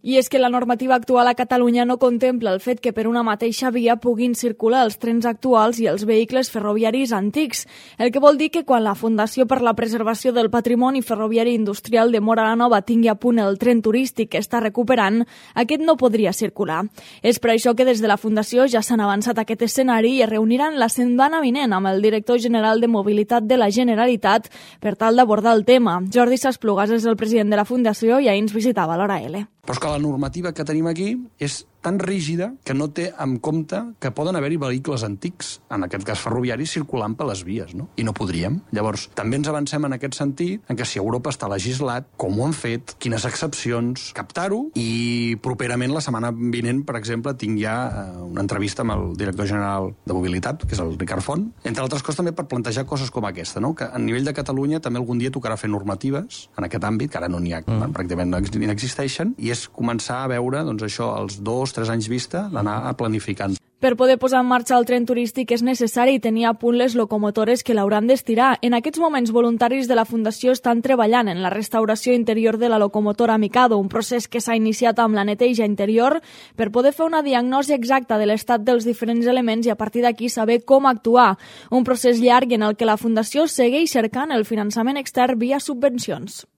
I és que la normativa actual a Catalunya no contempla el fet que per una mateixa via puguin circular els trens actuals i els vehicles ferroviaris antics, el que vol dir que quan la Fundació per la Preservació del Patrimoni Ferroviari Industrial de Móra la Nova tingui a punt el tren turístic que està recuperant, aquest no podria circular. És per això que des de la Fundació ja s'han avançat aquest escenari i es reuniran la setmana vinent amb el director general de Mobilitat de la Generalitat per tal d'abordar el tema. Jordi Sasplugas és el president de la Fundació i ahir ens visitava a l'Hora L. Però és que la normativa que tenim aquí és tan rígida que no té en compte que poden haver-hi vehicles antics, en aquest cas ferroviaris, circulant per les vies, no? I no podríem. Llavors, també ens avancem en aquest sentit, en que si Europa està legislat, com ho han fet, quines excepcions, captar-ho, i properament, la setmana vinent, per exemple, tinc ja una entrevista amb el director general de Mobilitat, que és el Ricard Font, entre altres coses també per plantejar coses com aquesta, no? Que a nivell de Catalunya també algun dia tocarà fer normatives en aquest àmbit, que ara no n'hi ha, pràcticament no existeixen, i és començar a veure, doncs això, els 2-3 anys vista, d'anar planificant. Per poder posar en marxa el tren turístic és necessari tenir a punt les locomotores que l'hauran d'estirar. En aquests moments, voluntaris de la Fundació estan treballant en la restauració interior de la locomotora Mikado, un procés que s'ha iniciat amb la neteja interior per poder fer una diagnosi exacta de l'estat dels diferents elements i a partir d'aquí saber com actuar. Un procés llarg en el que la Fundació segueix cercant el finançament extern via subvencions.